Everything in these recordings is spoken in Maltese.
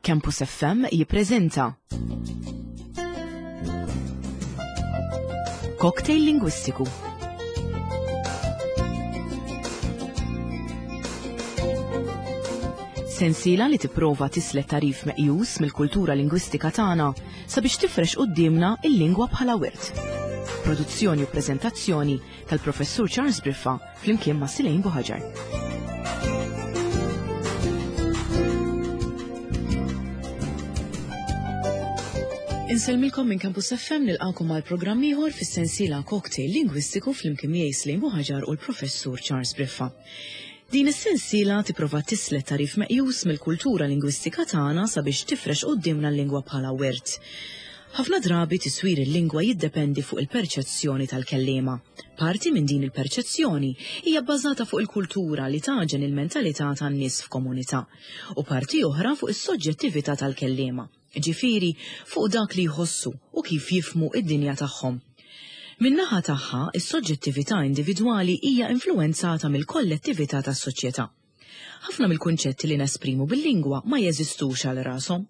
Campus FM jippreżenta Cocktail Lingwistiku. Sensiela li tipprova tislet tarif meqjus mill-kultura lingwistika tagħna sabiex tifrex quddiemna il-lingwa bħala wirt. Produzzjoni u preżentazzjoni tal-Professur Charles Briffa flimkien ma' Silejn Buħaġar. Insellmilkom minn Campus FM nilqakom għal programm ieħor fis-sensiela Cocktail Lingwistiku flimkien miegħi Slejn Buħaġar u l-Professur Charles Briffa. Din is-sensiela tipprova tislet tagħrif meqjus mill-kultura lingwistika tagħna sabiex tifrex quddiemna l-lingwa bħala wirt. Ħafna drabi tiswir il-lingwa jiddependi fuq il-perċezzjoni tal-kelliema. Parti minn din il-perċezzjoni hija bbażata fuq il-kultura li tagħġen il-mentalità tan-nies f'komunità, u parti oħra fuq is-soġġettività tal-kelliema, jiġifieri fuq dak li jħossu u kif jifhmu d-dinja tagħhom. Min-naħa tagħha, is-soġġettività individwali hija influwenzata mill-kollettività tas-soċjetà. Ħafna mill-kunċetti li nesprimu bil-lingwa ma jeżistux għal rashom.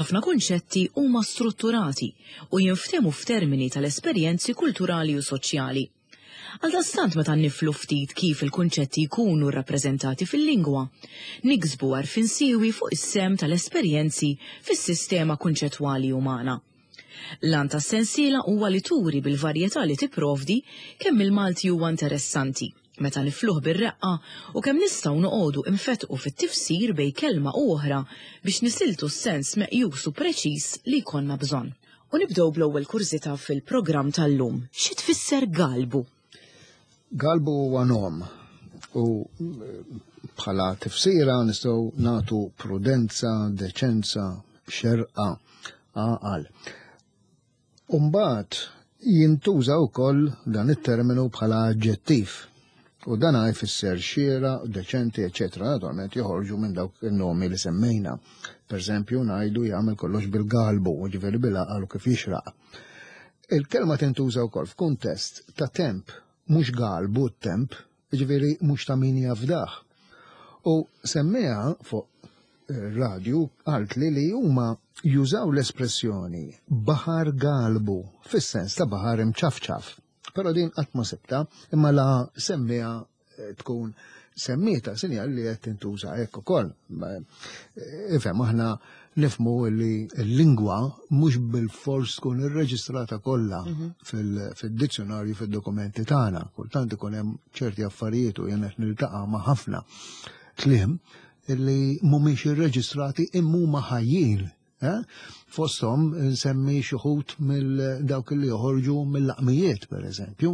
Ħafna kunċetti huma strutturati u jinftehmu f'termini tal-esperjenzi kulturali u soċjali. Għaldaqstant meta niflu ftit kif il-kunċetti jkunu rrappreżentati fil-lingwa, niksbu għarfien siewi fuq is-sehem tal-esperjenzi fis-sistema kunċettwali umana. L-għan tas-sensiela huwa li turi bil-varjetà li tipprovdi kemm il-Malti huwa interessanti, meta nifluh bir-reqqa u kemm nistgħu noqogħdu infettqu fit-tifsir bejn kelma u oħra biex nisiltu s-sens meqjus u preċiż li jkollna bżonn. U nibdew bl-ewwel kurżità fil-programm tal-lum. Xi tfisser galbu? Galbu huwa nom u bħala tifsira nistgħu nagħtu prudenza, deċenza, xerqa, għaqal. Umbagħad jintuża wkoll dan it-terminu bħala aġġettiv u dan jfisser xiera, deċenti, eċetera. Naturalment joħorġu minn dawk in-nomi li semmejna. Per eżempju, ngħidu jagħmel kollox bil-galbu, ġifieri bil-għaqal u kif jixraq. Il-kelma tintuża wkoll f'kuntest ta' temp, mhux galbu t-temp, ġifieri mhux ta' min jafdah. U semmiha fuq radju qaltli li huma jużaw l-espressjoni baħar galbu fis-sens ta' baħar imċafċaf. Però din qatt ma sibta, imma la semmiha eh, tkun semmieta sinjal li qed tintuża hekk ukoll. Eh, ifhem aħna nifmu li l-lingwa mhux bil-fors tkun irreġistrata kollha mhm. fil-dizzjonarju fid-dokumenti tagħna. Kultant ikun hemm ċerti affarijiet u jien qed niltaqa' ma' ħafna kliem li mhumiex irreġistrati imma huma ħajjin. Eh? Fosthom nsemmi xi wħud mill dawk li joħorġu mill-laqmijiet, per eżempju.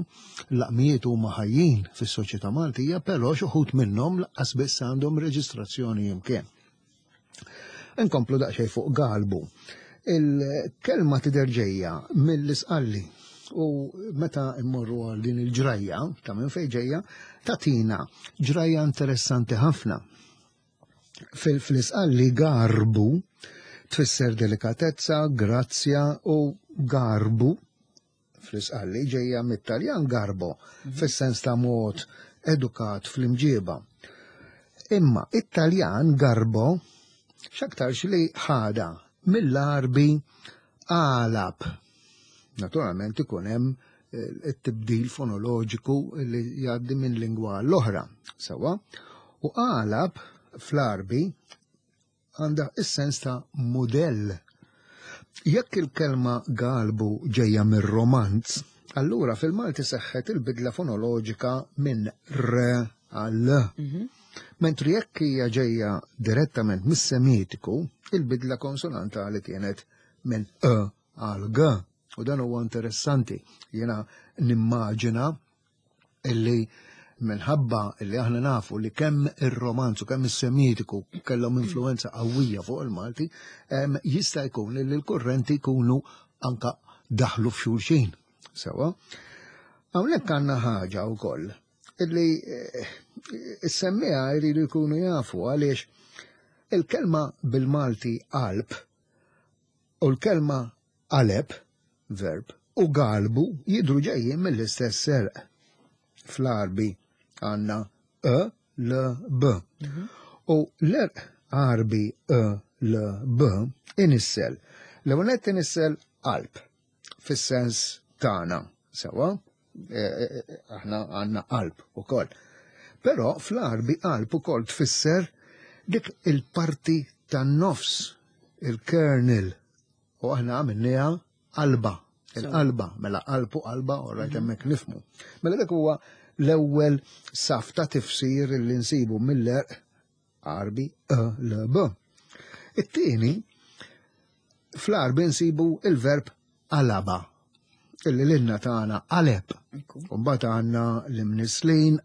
L-laqmijiet huma ħajjin fis-soċjetà Maltija, però xi wħud minnhom laqqas biss għandhom reġistrazzjoni imkien. Inkomplu daqsxejn fuq galbu. Il-kelma tidher ġejja mill-isqalli u meta immorru għal din il-ġrajja ta' minn fejn ġejja, tatina ġrajja interessanti ħafna. Fil-isqalli garbu tfisser delikatezza, grazzja u garbu fl-isqalli ġejja mit-Taljan garbo, mhm. fis-sens ta' mod edukat fl-imġieba. Imma it-Taljan garbo x'aktarx li ħada mill-Arbi għalab. Naturalment ikun hemm eh, it-tibdil fonoloġiku li jgħaddi minn lingwa l-oħra. Sewa, u għalab fl-Arbi għandha s-sens ta' mudell. Jekk il-kelma galbu ġejja mir-Romanz, allura fil-Malti seħħet il-bidla fonoloġika minn r għal l. Mhm. Mentri jekk hija ġejja direttament mis-Semitiku, il-bidla konsonantali kienet minn e għal g. U dan huwa interessanti. Jiena nimmaġina illi minħabba illi aħna nafu li kemm ir-romanzu kemm is-semitiku kellhom influenza qawwija fuq il-Malti, jista' jkun li l-kurrenti jkunu anka daħlu f'xulxin. Sewa. Hawnhekk għandna ħaġa wkoll illi eh, s-semmiha jridu jkunu jafu għaliex il-kelma bil-Malti qalb u l-kelma qaleb, verb, u galbu jidhru ġejjin mill-istess serq. Fl-Għarbi għandna e, l, b. Mhm. U l-erq Għarbi e, L, B, inissel. L-ewwel nett inissel qalb fis-sens tagħna, sewwa, e, e, e, aħna għandna qalb ukoll. Però fl-Għarbi qalb ukoll tfisser dik il-parti tan-nofs, il-kernel, u aħna għamilniha qalba, il-qalba, mela qalb u qalba, u rajt mhm. hemmhekk nifmu. Mela dak huwa l-ewwel saf ta' tifsir li nsibu mill-erq Għarbi E L B. It-tieni, fl-Għarbi nsibu il-verb qalaba, illi lilna tagħna qaleb. Mbagħad għandna l-imnislin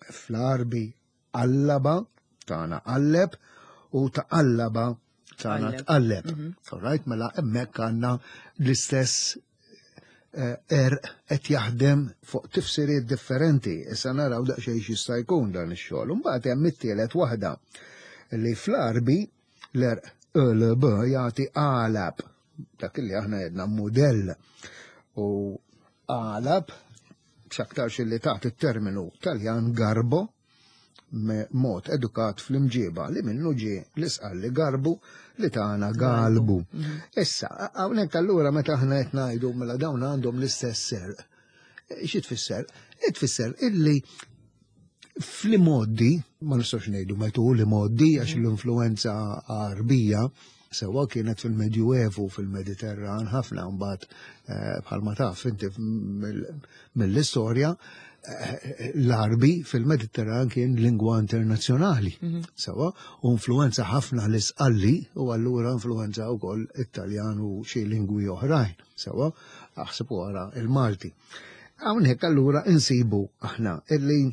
fl-Għarbi qallaba tagħna qalleb u taqallaba tagħna tqalleb. Mhm. All right, mela hemmhekk għandna l-istess er qed jaħdem fuq tifsiriet differenti. Issa naraw daqsxejn x'jista' jkun dan ix-xogħol. Imbagħad hemm it-tielet waħda li fl-Għarbi l-erq LB jagħti qalab dak li aħna jedna mudell u qalab x'aktarx li taħt it-terminu Taljan garbo mod edukat fl-imġiba li minnu ġie l-isqalli garbu li tagħna galbu. Mhm. Issa, hawnhekk allura meta aħna qed ngħidu mela dawn għandhom l-istess serq. Xi tfisser? Tfisser illi fl-imoddi, ma nistax ngħidu metu l-imoddi għax mhm. l-influenza Għarbija Sewwa kienet fil-Medjuevu fil-Mediterran ħafna mbagħad eh, bħalma taf inti mill-istorja eh, l-Arbi fil-Mediterran kien lingwa internazzjonali. Mhm. Sewwa u influenza ħafna l-Isqalli u allura influenza wkoll it-Taljan u xi lingwi oħrajn. Sewwa aħseb wara il-Malti. Hawnhekk allura insibu aħna illi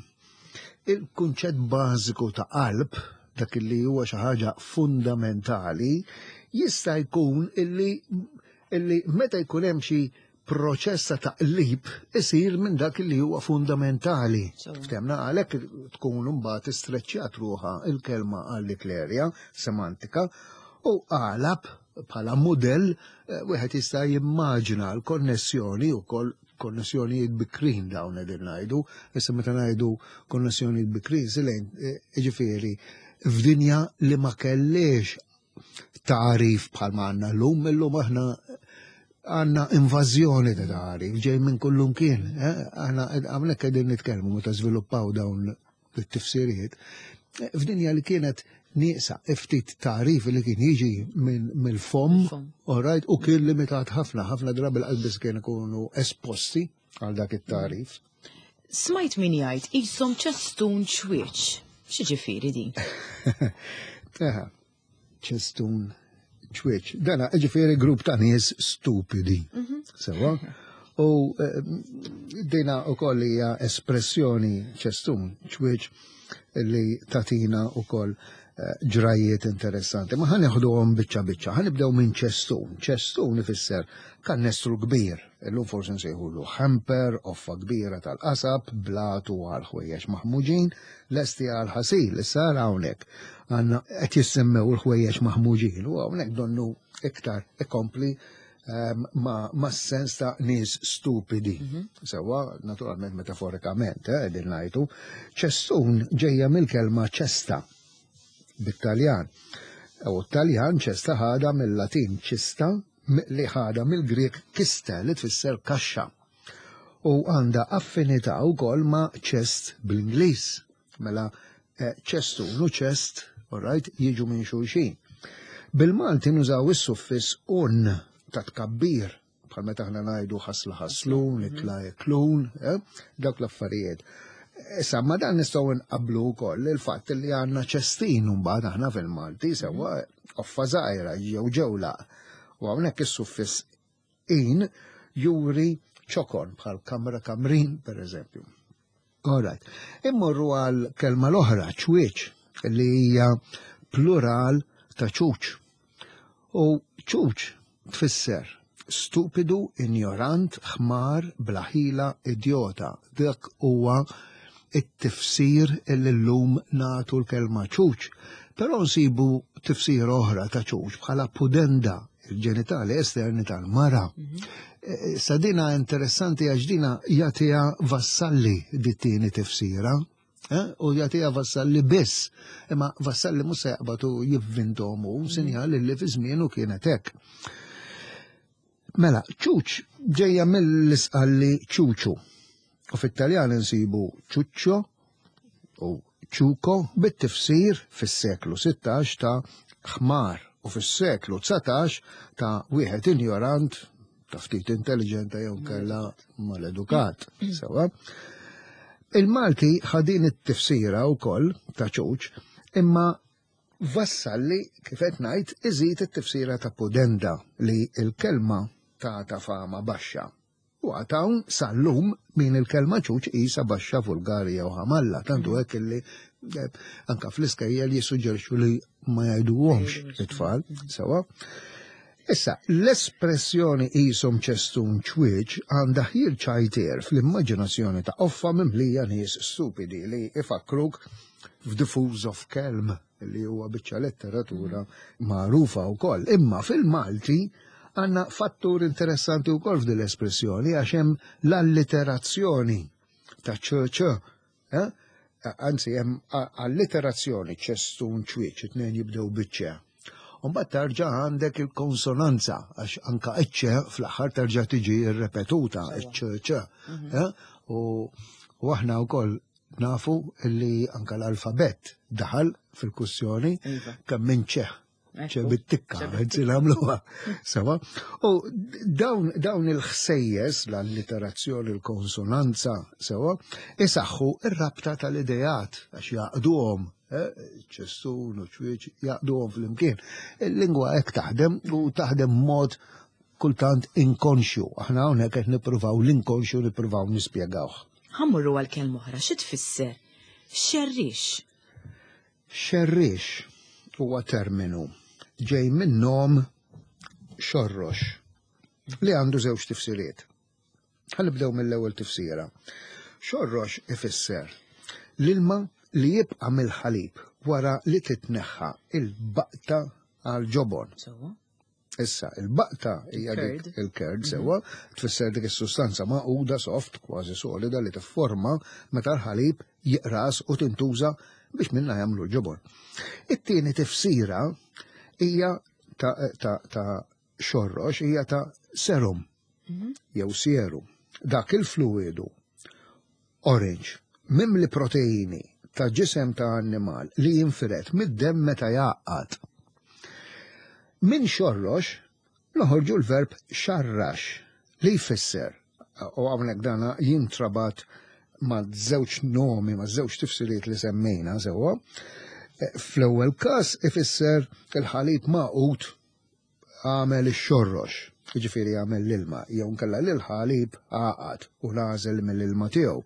Il-kunċett bażiku ta' qalb, dak li huwa xi ħaġa fundamentali, jista' jkun illi illi meta jkun hemm xi proċess ta' taqlib isir minn dak li huwa fundamentali. Ftemna għalhekk tkun imbagħad istreċċjat ruħha il-kelma għal dik l-erja semantika u qalab bħala mudell eh, wieħed jista' jimmaġina l-konnessjoni wkoll konnessjonijiet bikrin dawn qegħdin ngħidu, issa meta ngħidu konnessjonijiet bikrin silejn eh, jiġifieri f'dinja li ma kellix tagħrif bħalma għandna llum, illum aħna għandna invażjoni ta' tagħrif ġej minn kullum kien. Eh? Aħna hawnhekk qegħdin nitkellmu meta żviluppaw dawn it-tifsiriet f'dinja li kienet nieqsa ftit tagħrif li kien jiġi mill-fomm, all right, u kien limitat ħafna, ħafna drabi l-qalbis kien ikunu esposti għal dak it-tagħrif. Smajt min jgħid qishom ċestun ċwieċ. X'ġifieri din? Eħe, ċestun ċwieċ. Dana, ġifieri grupp ta' nies stupidi. Mhm. Sewa? U eh, dina u koll hija espressjoni ċestun ċwieċ li tatina u koll eh, ġrajiet interessanti. Ma ħan għom biċċa biċċa, ħan nibdew minn ċestun. ċestun ifisser kannestru kbir, illum forsi nsejħulu hamper, offa kbira tal-qasab, blatu għal ħwejjeġ maħmuġin, lesti għal ħasil, issa ara hawnhekk għandna qed jissemmew il-ħwejjeġ maħmuġin u hawnhekk donnu iktar ikompli ehm, ma, ma sens ta' nies stupidi. Mhm. Sewwa, naturalment metaforikament, eh, qegħdin ngħidu, ċestun ġejja mill-kelma ċesta bit-Taljan. U t-Taljan ċesta ħada mill-Latin ċista li ħada mill-Grieg kista li tfisser kaxxa. U għandha affinità wkoll ma' chest bl-Ingliż. Mela eh, ċestun u chest, all right, jiġu minn xulxin. Bil-Malti nużaw is-suffiss un ta' tkabbir, bħal meta aħna ngħidu ħasla ħaslun, mhm. ikla iklun, eh, dawk l-affarijiet. Issa, ma dan nistgħu nqablu wkoll il-fatt li għandna ċestin mbagħad aħna fil-Malti sewwa offa żgħira jew ġewla. U hawnhekk is-suffiss in juri ċokon bħal kamra kamrin per eżempju. All right. Immorru għal kelma l-oħra, ċwieċ, li hija plural ta' ċuċ. U ċuċ tfisser stupidu, injorant, ħmar, bla ħila, idjota. Dak huwa it-tifsir li llum nagħtu l-kelma ċuċ. Però nsibu tifsir oħra ta' ċuċ bħala pudenda, il-ġenitali esterni tal-mara. Mhm. E, sa dina interessanti għax dina jagħtiha vassalli dit-tieni tifsira. Eh? U jagħtiha Vassalli biss. Imma Vassalli mhux se jaqbad u jivvintom hu sinjal li fi żmienu kienet hekk. Mela, ċuċ ġejja mill-isqalli ċuċu. U fit-Taljan insibu ċuċċo u ċuko bit-tifsir fis-seklu 16 ta' ħmar u fis-seklu 19 ta' wieħed injorant ta' ftit intelligenta jew kella maledukat. Sewa. Il-Malti ħadin it-tifsira wkoll ta' ċuċ, imma Vassalli, kif qed ngħid, iżid it-tifsira ta' pudenda li l-kelma tagħta fama baxxa. U għad hawn sal-lum min il-kelma ċuċ qisha baxxa, vulgari jew ħamalla, tant hu hekk illi eh, anka fl-iskejjel jissuġġerixxu li ma jgħiduhomx it-tfal, sewa. Issa, l-espressjoni qishom ċestun ċwieċ għandha ħjiel ċajtier fl-immaġinazzjoni ta' qoffa mimlija nies stupidi li ifakkruk f'The Fools of Kelm li huwa biċċa letteratura magħrufa wkoll. Imma fil-Malti għandna fattur interessanti wkoll f'din l-espressjoni għax hemm l-alliterazzjoni ta' ċ ċ Eh? Anzi, hemm alliterazzjoni ċestun ċwieċ, it-tnejn jibdew biċ-ċe. Mbagħad tarġa' għandek il-konsonanza għax anka iċ-ċe fl-aħħar terġa' tiġi rrepetuta iċ-ċ ċ. Mhm. Eh? U aħna wkoll nafu li anka l-alfabett daħal fil-kussjoni iva. kemm minn ċe ċe bit-tikka, għedzi namluha. Sewa. U dawn, dawn il-ħsejjes, l-alliterazzjoni, l-konsonanza, sewa, isaħħu ir-rabta tal-idejat, għax jaqduhom, eh, ċessun u ċwieċ, jaqduhom fl-imkien. Il-lingwa hekk taħdem u taħdem mod kultant inkonxju. Aħna hawnhekk qed nippruvaw l-inkonxju nippruvaw nispjegawh. Ħammurru għal kelma oħra, xi tfisser? Xerrix. Xerriex huwa terminu ġej min-nom xorrox li għandu żewġ tifsiriet. Ħa nibdew mill-ewwel tifsira. Xorrox ifisser l-ilma li jibqa' mill-ħalib wara li titneħħa il-baqta għall-ġobon. Issa, il-baqta hija dik il-curd mhm. sewwa, tfisser dik is-sustanza maquda soft, kważi solida li tifforma meta l-ħalib jiqras u tintuża biex minna jagħmlu l-ġobon. It-tieni tifsira hija ta', ta, ta xorrox hija ta' serum mhm. jew sieru. Dak il-fluidu orange mimli proteini ta' ġisem ta' annimal li jinfired mid-demm meta jgħaqqad. Minn xorrox noħorġu l-verb xarrax li jfisser, u hawnhekk dana jintrabat ma' żewġ nomi, ma' żewġ tifsiriet li semmejna sewwa. Fl-ewwel każ ifisser il-ħalib magħqud għamel ix-xorrox, jiġifieri għamel l-ilma, jew inkella li l-ħalib għaqad u nagħżel mill-ilma tiegħu.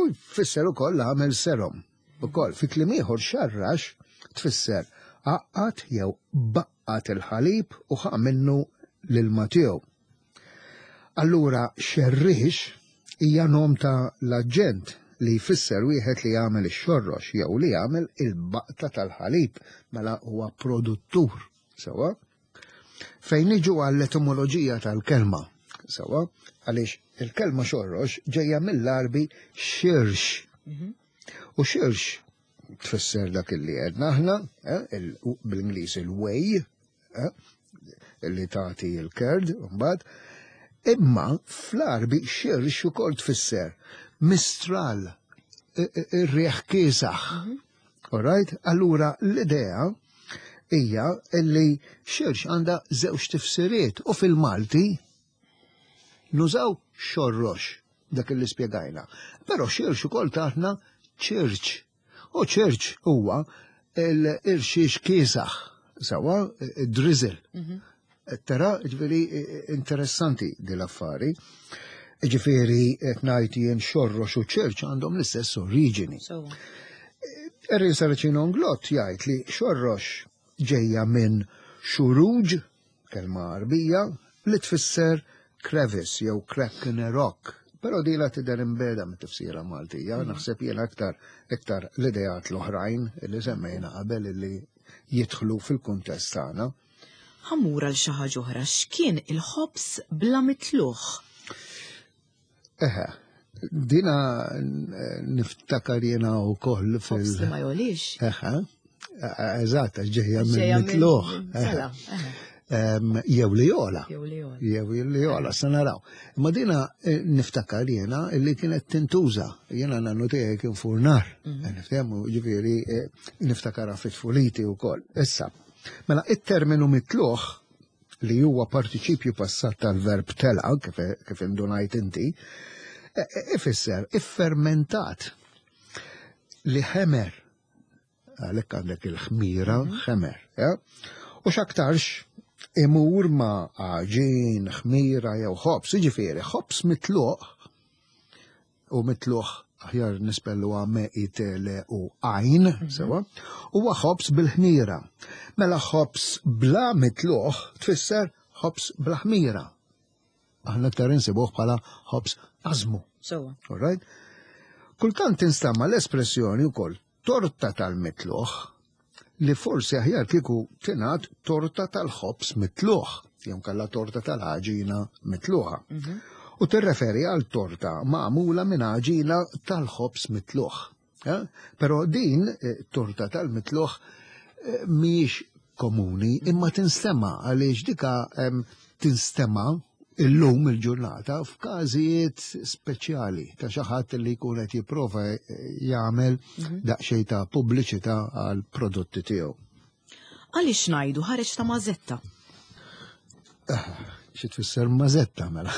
U jfisser ukoll għamel serum. Ukoll fi kliem ieħor xarrax tfisser għaqqad jew baqqat il-ħalib u ħa minnu l-ilma tiegħu. Allura xerrix hija nom ta' l-aġġent li jfisser wieħed li jagħmel ix-xorrox jew li jagħmel il-baqta tal-ħalib mela huwa produttur. Sewa? Fejn niġu għall-etimoloġija tal-kelma, sewa, għaliex il-kelma xorrox ġejja mill-Arbi xirx. Mhm. U xirx tfisser dak li għedna aħna, eh, bil-Ingliż il-way, eh, li tagħti l-kerd, mbagħad, imma fl-Arbi xirx ukoll tfisser mistral, ir-riħ kiesaħ. Mhm. Alright? Allura l-idea hija li xirx għandha żewġ tifsiriet u fil-Malti nużaw xorrox dak li spjegajna. Però xirx ukoll taħna ċirċ. U ċirċ huwa l-irxiex kiesaħ, sawa, drizzle. Mhm. Tara, ġifieri interessanti di l-affari. Ġifieri qed ngħid jien xorrox u ċirċ għandhom l-istess oriġini. Erin Saracino Nglott jgħid li xorrox ġejja minn xuruġ, kelma Għarbija, li tfisser crevice jew crack in a rock. Però dila tidher imbeda mit-tifsira Maltija, mm. naħseb jien aktar iktar l-ideat l-oħrajn li semmejna qabel li jidħlu fil-kuntest tagħna. Ħa mmur għal xi ħaġa oħra, x'kien il-ħobż bla mitluħ? Eħe, Dina niftakar jena u koll fil. Ħobs li ma jolix. Eħe, eżatt, ġejja minn mitluħ. Jew li jola. Jew li jola, sa naraw. Ma dina eh, niftakar jena li kienet tintuża. Jena nannu tiegħi kien furnar. Mhm. Niftehmu ġifieri eh, niftakara fit-tfuliti wkoll. Issa, mela it-terminu mitluħ li huwa partiċipju passat tal-verb tela, kif, kif indunajt inti, e, e, ifisser iffermentat li ħemer għalhekk għandek il-ħmira mhm. ħemer. Ja? U x'aktarx imur ma' għaġin, ħmira jew ħobs, jiġifieri ħobs mitluq u mitluq aħjar nispellu me i tele u għajn, mhm. sewa, huwa ħobs bil-ħmira. Mela ħobs bla mitluq tfisser ħobs bla ħmira. Aħna aktar insibuh bħala ħobs ażmu. Sewa. All right? Kultant tinstama l-espressjoni wkoll torta tal-mitluħ li forsi aħjar kieku tingħad torta tal-ħobs mitluħ, jew kalla torta tal-għaġina mitluħa. Mhm. U tirreferi għal torta magħmula minn għaġina tal-ħobs mitluħ. Eh? Però din eh, torta tal-mitluħ eh, mhijiex komuni imma tinstema għaliex dika tinstema illum il-ġurnata f'każijiet speċjali ta' xi ħadd li jkun qed jipprova jagħmel mhm. daqsxejn ta' pubbliċità għal prodotti tiegħu. Għaliex ngħidu ħareġ ta' mażetta? Ah, xi tfisser mażetta mela.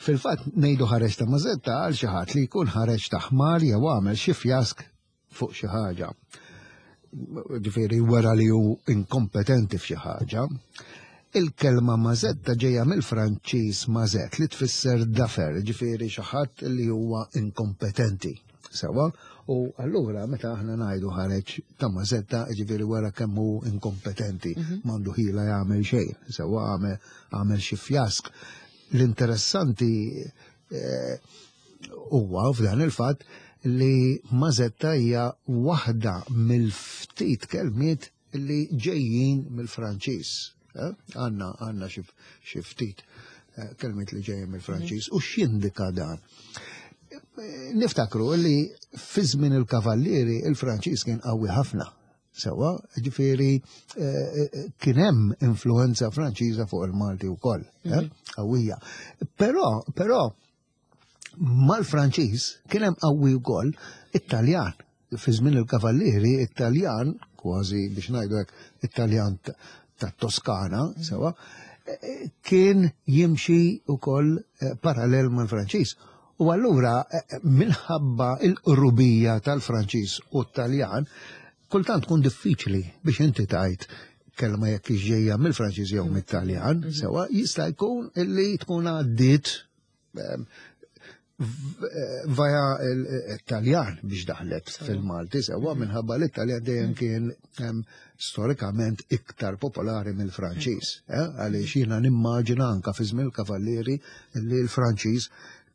Fil-fatt ngħidu ħareġ ta' mażetta għal xi ħadd li jkun ħareġ ta' ħmar jew għamel xi fjask fuq xi ħaġa. Ġifieri wera li hu inkompetenti f'xi ħaġa. Il-kelma mażetta ġejja mill-Franċiż mazet li tfisser dafer, ġifieri xi ħadd li huwa inkompetenti. Sewa, u allura meta aħna ngħidu ħareġ ta' mażetta, ġifieri wara kemm hu inkompetenti, mhm. m'għandu ħila jagħmel xejn, sewa għamel xi fjask. L-interessanti eh, huwa f'dan il-fatt li mażetta hija waħda mill-ftit kelmiet li ġejjin mill-Franċiż. Eh? Għanna għanna xi ftit eh, kelmiet li ġejjin mill-Franċiż. U x'jindika dan? Eh, niftakru li fi żmien il-Kavallieri il-Franċiż kien qawwi ħafna. Sewa, ġifieri kien hemm influenza Franċiża fuq il-Malti wkoll, mhm. qawwija. Però, però mal-Franċiż kien hemm qawwi wkoll it-Taljan. Fi żmien il-Kavallieri, it-Taljan, kważi biex ngħidu hekk, it-Taljan tat-Toskana, mhm. sewa, kien jimxi wkoll eh, parallel mal-Franċiż. U allura eh, minħabba il-qrubija tal-Franċiż u t-Taljan, kultant tkun diffiċli biex inti tajt kelma jekk ġejja mill-Franċiż jew mit-Taljan, mhm. sewa jista' jkun illi tkun għaddiet ehm, vaja l-Taljan biex daħlet fil-Malti sewa mhm. minħabba li t-Taljan dejjem mm. kien ehm, storikament iktar popolari mill-Franċiż. Mm. Eh, għaliex jiena nimmaġina anka fi żmien il-Kavallieri li l-Franċiż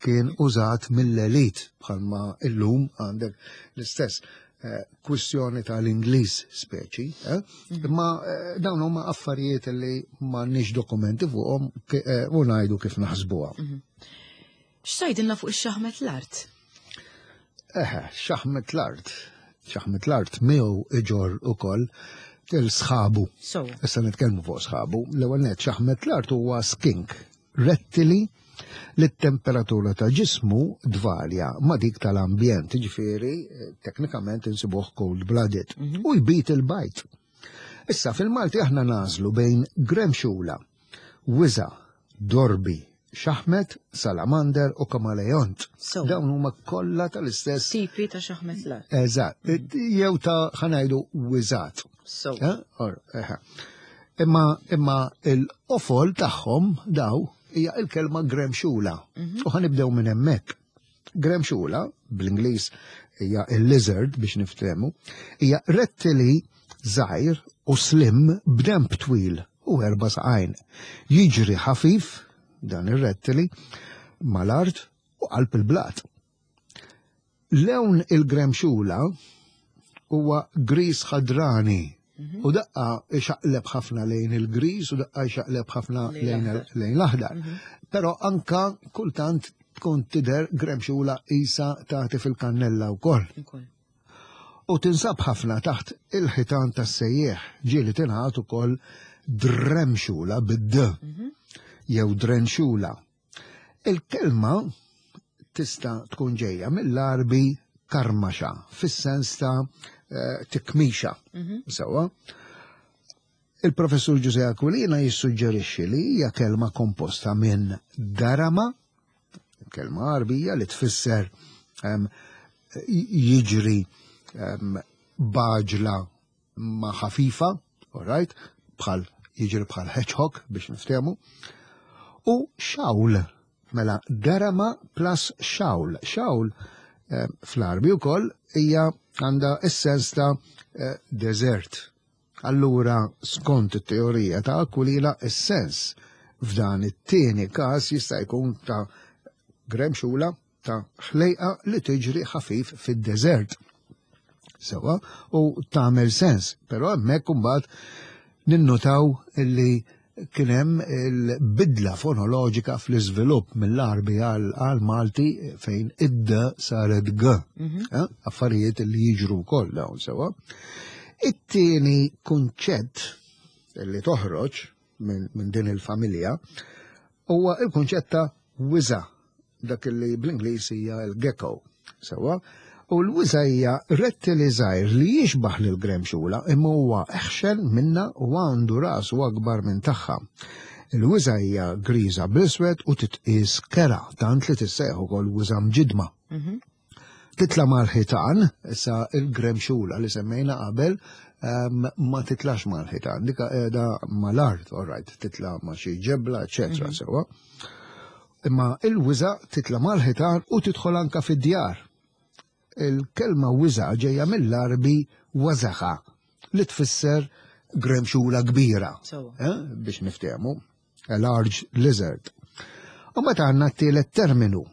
kien użat mill-elit bħalma illum għandek l-istess eh, kwistjoni tal-Ingliż speċi, eh? mm. imma dawn huma affarijiet li m'għandniex dokumenti fuqhom u ngħidu kif naħsbuha. Mhm. X'tgħidilna fuq ix-xaħmet l-art? Eħe, xaħmet l-art. Xaħmet l-art miegħu iġor ukoll il-sħabu. Issa nitkellmu fuq sħabu. L-ewwel net xaħmet l-art huwa skink, rettili li t-temperatura ta' ġismu dvarja ma' dik tal-ambjent, ġifieri teknikament insibuh cold blooded mhm. u jbit il-bajt. Issa fil-Malti aħna nażlu bejn gremxula, wiża, dorbi, xaħmet, salamander u kamaleont. Dawn huma kollha tal-istess. Tipi ta' xaħmet l Eżatt, jew ta' ħanajdu wiżat. So. Eh, eh. Imma imma il-qofol tagħhom daw hija il-kelma gremxula. Mhm. U ħanibdew minn hemmhekk. Gremxula, bl-Ingliż hija il-lizard biex niftehmu, hija rettili żgħir u slim b'denb twil u erba' saqajn. Jiġri ħafif dan ir-rettili mal-art u qalb il-blat. Lewn il-gremxula huwa griż ħadrani mhm. u daqqa ixaqleb ħafna lejn il-griż u daqqa ixaqleb ħafna lejn l-aħdar. Mhm. Però anka kultant tkun tidher gremxula qisha tagħti fil-kannella wkoll. U tinsab ħafna taħt il-ħitan tas-sejjieħ, ġieli tingħad ukoll dremxula bid-d jew drenxula. Il-kelma tista' tkun ġejja mill-Għarbi karmaxa, fis-sens ta' tikmixa. Sewwa. Il-Professur Ġużè Aquilina jissuġġerixxi li hija kelma komposta minn darama, kelma Għarbija li tfisser jiġri b'għaġla ma ħafifa, all right, bħal jiġri bħal hedgehog biex niftehmu, u xawl, mela darama plus xawl. Xawl fl-Għarbi wkoll hija għandha s-sens ta' desert. Allura, skont it-teorija ta' Aquilina, is-sens f'dan it-tieni każ jista' jkun ta' gremxula ta' ħlejqa li tiġri ħafif fid-deżert. Sewa, u tagħmel sens, però hemmhekk imbagħad ninnotaw li kien hemm il-bidla fonoloġika fl-iżvilupp mill-Għarbi għal-Malti fejn id-d saret g. Affarijiet li jiġru wkoll dawn sewa. It-tieni kunċett li toħroġ minn din il-familja huwa il-kunċett ta' wiża', dak li bl-Ingliż hija l-gecko. Sewa, u l-wiża' hija rettili żgħir li jixbaħ lil gremxula imma huwa eħxen minnha u għandu rasu akbar minn tagħha. Il-wiża' hija griża bl-iswed u titqies kerha tant li tissejjaħ ukoll wiża' mġidma. Titla' mal-ħitan, issa il-gremxula li semmejna qabel ma titlax mal-ħitan, dika qiegħda mal-art, all right, titla' ma' xi ġebla, eċetera, sewa. Imma il-wiża' titla' mal-ħitan u tidħol anka fid-djar. Il-kelma wiża' ġejja mill-Għarbi wazaħa li tfisser gremxula kbira, biex niftehmu, a large lizard. U mbagħad għandna t-tielet terminu,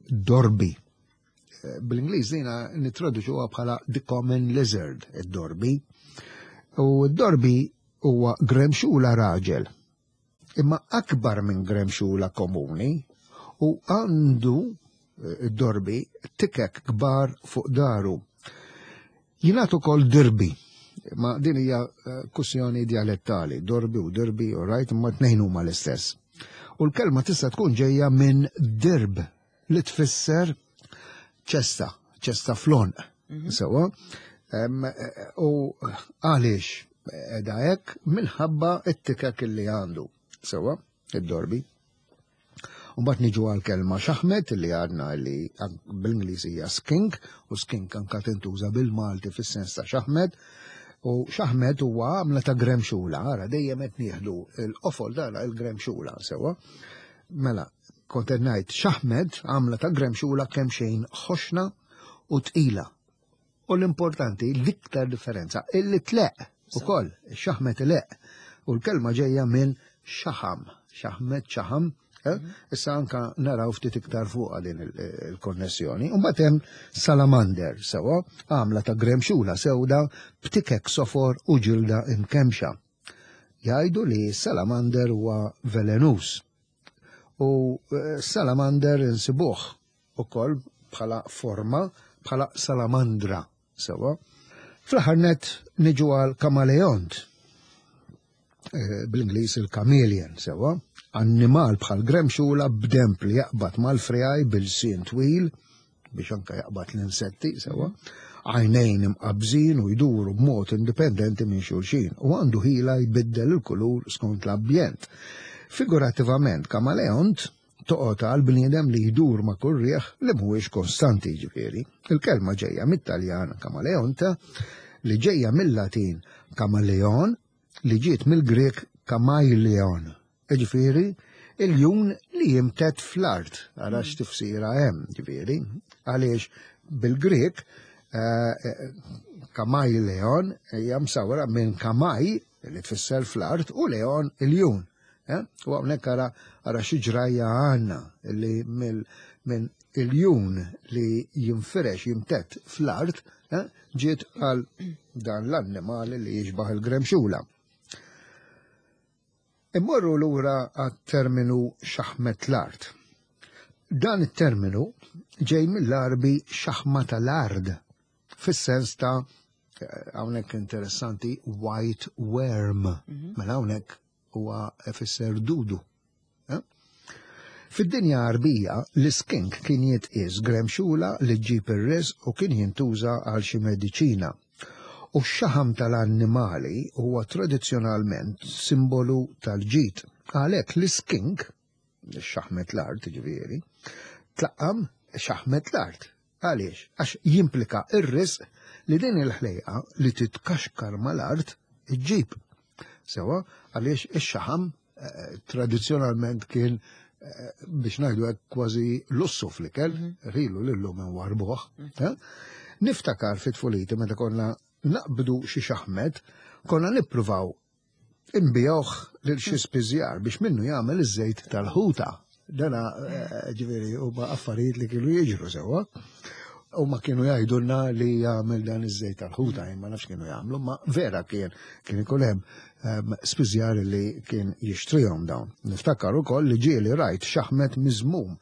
dorbi. Bl-Ingliż dina nittraduċuha bħala the common lizard, id-dorbi. U d-dorbi huwa gremxula raġel, imma akbar minn gremxula komuni u għandu id-dorbi tikek kbar fuq daru. Jingħad ukoll dirbi, ma din hija kwistjoni dialettali, dorbi u dirbi, all right, imma tnejn huma l-istess. U l-kelma tista' tkun ġejja minn dirb li tfisser ċesta, ċesta fl-għonq. Sewa, u għaliex edha hekk minħabba t-tikek li għandu. Sewa, id-dorbi. U mbagħad niġu għal kelma xaħmet li għadna li bl-Ingliż hija skink, u skink anka tintuża bil-Malti fis-sens ta' xaħmet. U xaħmet huwa għamla ta' gremxula, ara dejjem qed nieħdu l-qofol tagħna il-gremxula sewa. Mela, kont qed ngħid xaħmet għamla ta' gremxula kemm xejn ħoxna u tqila. U l-importanti, l-iktar differenza, illi tleq ukoll, xaħmet ileq. U l-kelma ġejja minn xaħam, xaħmet, xaħam, eh? Issa anka naraw ftit iktar fuqha din il-konnessjoni. U mbagħad hemm salamander, sewa, għamla ta' gremxula sewda b'tikek sofor u ġilda imkemxa. Jgħidu li salamander huwa velenus. U salamander insibuh ukoll bħala forma bħala salamandra, sewa. Fl-aħħar nett niġu għal kamaleont, bl-Ingliż il-chameleon, sewa, annimal bħal gremxula b'demp li jaqbad mal-friegħi bil-sien twil biex anka jaqbad l-insetti, sewa, għajnejn imqabżin u jduru b'mod indipendenti minn xulxin u għandu ħila jbiddel il-kulur skont l-ambjent. Figurattivament, kamaleont toqgħod għal bniedem li jdur ma' kull riħ li mhuwiex konstanti, jiġifieri. Il-kelma ġejja mit-Taljan camaleonte li ġejja mill-Latin camaleon li ġiet mill-Grieg kamaileon, jiġifieri il-jun li jimtedd fl-art. Ara x'tifsira hemm, jiġifieri, għaliex bil-Grieg kamaileon hija msawra minn kamai li tfisser fl-art u leon il-jun. U hawnhekk ara xi ġrajja għandna li minn il-jun li jinfirex jimtedd fl-art ġiet għal dan l-annimali li jixbaħ il-gremxula. Immorru lura għat-terminu xaħmet l-art. Dan it-terminu ġej mill-Għarbi xaħma tal-ard, fis-sens ta' hawnhekk interessanti white worm. Mela hawnhekk huwa ifisser dudu. Eh? Fid-dinja Għarbija, l-iskink kien jitqies gremxula li ġġib ir-riżq u kien jintuża għal xi mediċina. U x-xaħam tal-annimali huwa tradizzjonalment simbolu tal-ġid. Għalhekk l-iskink, xaħmet l-art ġifieri, tlaqqam xaħmet l-art. Għaliex? Għax jimplika ir-risq li din il-ħlejqa li titkaxkar mal-art iġġib. Sewa, għaliex ix-xaħam eh, tradizzjonalment kien eh, biex ngħidu hekk kważi lussu fl-ikel, rilu lillum warbuh. Eh? Niftakar fit-tfuliti meta konna naqbdu xi xaħmet, konna nippruvaw inbigħuh lil xi spiżjar biex minnu jagħmel iż-żejt tal-ħuta. Dana eh, ġifieri huma affarijiet li kienu jiġru sewwa. U ma kienu jgħidulna li jagħmel dan iż-żejt tal-ħuta, ma nafx kienu jagħmlu, ma vera kien kien ikun hemm ehm, spiżjar li kien jixtrihom dawn. Niftakar ukoll li ġieli rajt xaħmet miżmum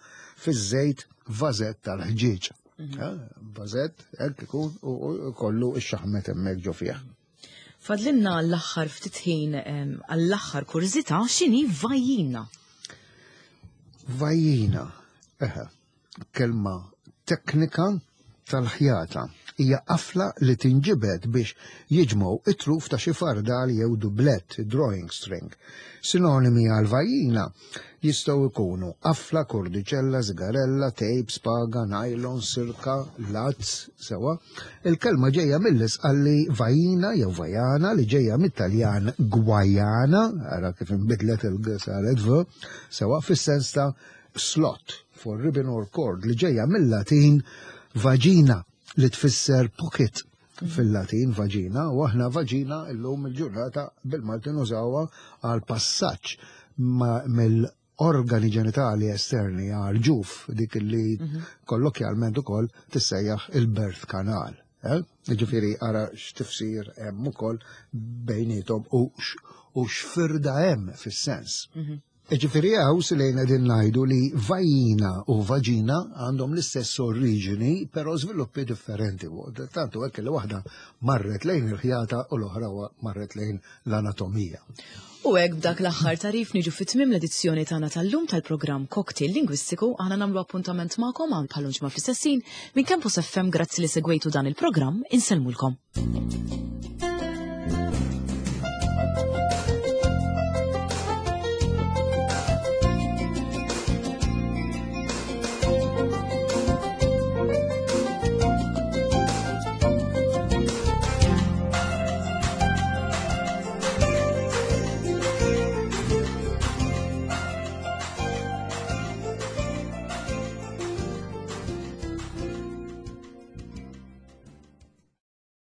fiż-żejt vażett tal-ħġieġ. Mhm. Eh, vażett hekk ikun u kollu x-xaħmet hemmhekk ġo fih. Fadlinna l-aħħar ftit ħin għall-aħħar kurżità x'inhi vajjina? Vajjina, eħe, kelma teknika tal-ħjata. Hija qafla li tinġibed biex jiġmgħu it-truf ta' xi fardal jew dublett, drawing string. Sinonimi għal vajjina jistgħu jkunu qafla, kordiċella, żigarella, tejp, spaga, nylon, sirka, lazz, sewa. Il-kelma ġejja mill-Isqalli vajina jew vajana li ġejja mit-Taljan gwajana, ara kif inbidlet il-g saret v, sewa fis-sens ta' slot for ribbon or cord li ġejja mill-Latin vagina li tfisser pocket fil-Latin vagina u aħna vagina illum il-ġurnata bil-Malti nużawha għal passaġġ mill-organi ġenitali esterni għal ġuf dik li mhm. kollokjalment ukoll tissejjaħ il-birth canal. Eh? Ġifieri ara x'tifsir hemm ukoll bejnietom u x'firda hemm fis-sens. Mhm. Jiġifieri hawn lejn qegħdin ngħidu li vajina u vaġina għandhom l-istess oriġini però żviluppi differenti. Tantu hekk li waħda marret lejn il-ħjata u l-oħra marret lejn l-anatomija. U hekk b'dak l-aħħar tarif niġu fi tmiem l-edizzjoni tagħna tal-lum tal-programm Cocktail Lingwistiku aħna nagħmlu appuntament magħkom għal bħal ġimgħa fl-istess minn Campus FM grazzi li segwejtu dan il-programm insellmulkom.